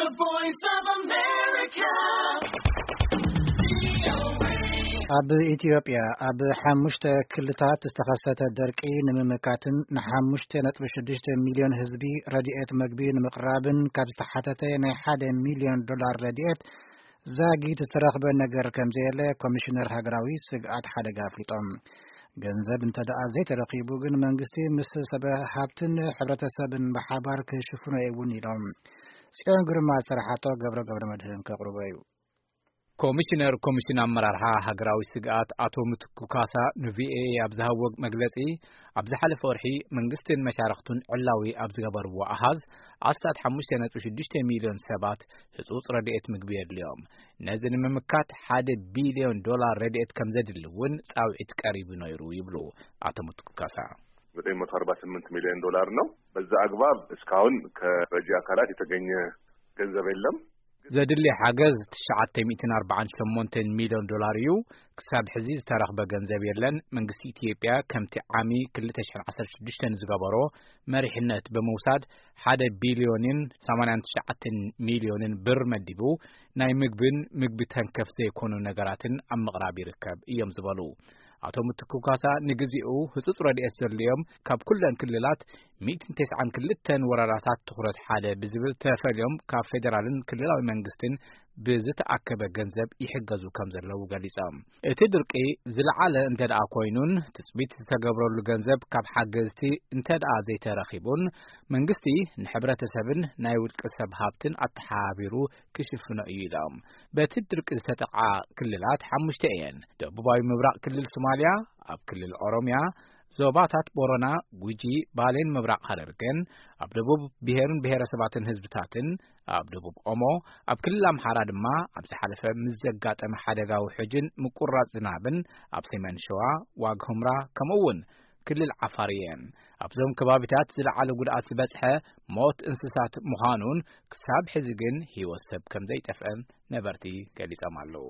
The Voice of America. ኣብ ኢትዮጵያ ኣብ ሓሙሽተ ክልታት ዝተኸሰተ ደርቂ ንምምካትን ንሓሙሽተ ነጥቢ ሽዱሽተ ሚልዮን ህዝቢ ረድኤት መግቢ ንምቕራብን ካብ ዝተሓተተ ናይ ሓደ ሚልዮን ዶላር ረድኤት ዛጊት ዝተረኽበ ነገር ከም ዘየለ ኮሚሽነር ሃገራዊ ስግኣት ሓደጋ ኣፍሊጦም። ገንዘብ እንተ ደኣ ዘይተረኺቡ ግን መንግስቲ ምስ ሰብ ሃብትን ሕብረተሰብን ብሓባር ክሽፍኖ እዩ እውን ኢሎም። ጽዮን ግርማ ዝሰራሓቶ ገብረ ገብረ መድህን ከቕርቦ እዩ። ኮሚሽነር ኮሚሽን ኣመራርሓ ሃገራዊ ስግኣት ኣቶ ምትኩ ካሳ ንቪኦኤ ኣብ ዝሃብዎ መግለጺ፣ ኣብ ዝሓለፈ ወርሒ መንግስትን መሻርኽቱን ዕላዊ ኣብ ዝገበርዎ ኣሃዝ ኣስታት ሓሙሽተ ነጥቢ ሽዱሽተ ሚልዮን ሰባት ህጹጽ ረድኤት ምግቢ የድልዮም። ነዚ ንምምካት ሓደ ቢልዮን ዶላር ረድኤት ከም ዘድሊ እውን ጻውዒት ቀሪቡ ነይሩ ይብሉ ኣቶ ምትኩ ካሳ። ዘጠኝ መቶ አርባ ስምንት ሚሊዮን ዶላር ነው። በዛ አግባብ እስካሁን ከረጂ አካላት የተገኘ ገንዘብ የለም። ዘድሊ ሓገዝ ትሽዓተ ሚእትን ኣርባዓን ሸሞንተን ሚልዮን ዶላር እዩ። ክሳብ ሕዚ ዝተረኽበ ገንዘብ የለን። መንግስቲ ኢትዮጵያ ከምቲ ዓሚ ክልተ ሽሕን ዓሰርተ ሽዱሽተን ዝገበሮ መሪሕነት ብምውሳድ ሓደ ቢልዮንን ሰማንያን ትሽዓተን ሚልዮንን ብር መዲቡ ናይ ምግብን ምግቢ ተንከፍ ዘይኮኑ ነገራትን ኣብ ምቕራብ ይርከብ እዮም ዝበሉ ኣቶ ምትኩ ካሳ፣ ንግዚኡ ህጹጽ ረድኤት ዘድልዮም ካብ ኩለን ክልላት ሚእትን ተስዓን ክልተን ወረዳታት ትኹረት ሓደ ብዝብል ተፈልዮም ካብ ፌደራልን ክልላዊ መንግስትን ብዝተኣከበ ገንዘብ ይሕገዙ ከም ዘለዉ ገሊጾም። እቲ ድርቂ ዝለዓለ እንተ ደኣ ኮይኑን ትጽቢት ዝተገብረሉ ገንዘብ ካብ ሓገዝቲ እንተ ደኣ ዘይተረኺቡን መንግስቲ ንሕብረተሰብን ናይ ውልቂ ሰብ ሃብትን ኣተሓባቢሩ ክሽፍኖ እዩ ኢሎም። በቲ ድርቂ ዝተጠቕዓ ክልላት ሓሙሽተ እየን። ደቡባዊ ምብራቕ ክልል ሶማልያ፣ ኣብ ክልል ኦሮምያ፣ ዞባታት ቦረና፣ ጉጂ፣ ባሌን ምብራቕ ሃረርገን፣ ኣብ ደቡብ ብሄርን ብሄረሰባትን ህዝብታትን፣ ኣብ ደቡብ ኦሞ፣ ኣብ ክልል ኣምሓራ ድማ ኣብ ዝሓለፈ ምስ ዘጋጠመ ሓደጋ ውሕጅን ምቁራጽ ዝናብን ኣብ ሰሜን ሸዋ፣ ዋግ ሁምራ፣ ከምኡ እውን ክልል ዓፋር እየን። ኣብዞም ከባቢታት ዝለዓለ ጉድኣት ዝበጽሐ ሞት እንስሳት ምዃኑን ክሳብ ሕዚ ግን ህይወት ሰብ ከም ዘይጠፍአን ነበርቲ ገሊጾም ኣለዉ።